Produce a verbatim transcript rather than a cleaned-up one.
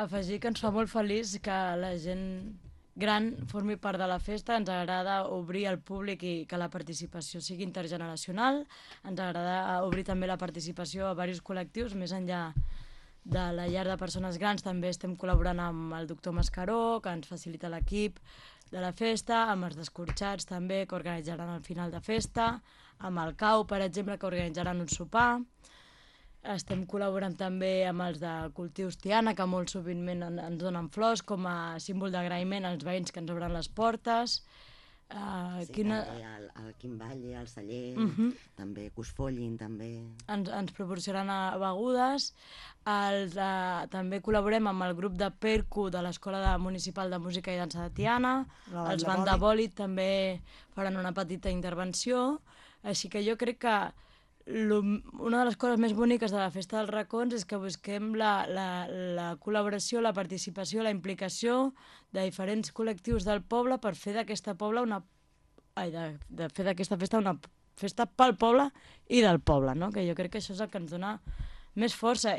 Afegir que ens fa molt feliç que la gent gran formi part de la festa, ens agrada obrir al públic i que la participació sigui intergeneracional, ens agrada obrir també la participació a diversos col·lectius, més enllà de la llar de persones grans també estem col·laborant amb el doctor Mascaró, que ens facilita l'equip de la festa, amb els descorxats també, que organitzaran al final de festa, amb el CAU, per exemple, que organitzaran un sopar. Estem col·laborant també amb els de Cultius Tiana, que molt sovintment ens donen flors com a símbol d'agraïment als veïns que ens obren les portes. Uh, sí, quina... també el, el Quim Valle, el celler, uh -huh. també que us follin, també... Ens, ens proporcionaran begudes. Els, uh, també col·laborem amb el grup de Percu de l'Escola Municipal de Música i Dansa de Tiana. La els Banda Bòlit també faran una petita intervenció. Així que jo crec que una de les coses més boniques de la Festa dels Racons és que busquem la, la, la col·laboració, la participació, la implicació de diferents col·lectius del poble per fer d'aquesta poble una... Ai, de, de fer d'aquesta festa una festa pel poble i del poble, no? Que jo crec que això és el que ens dona més força.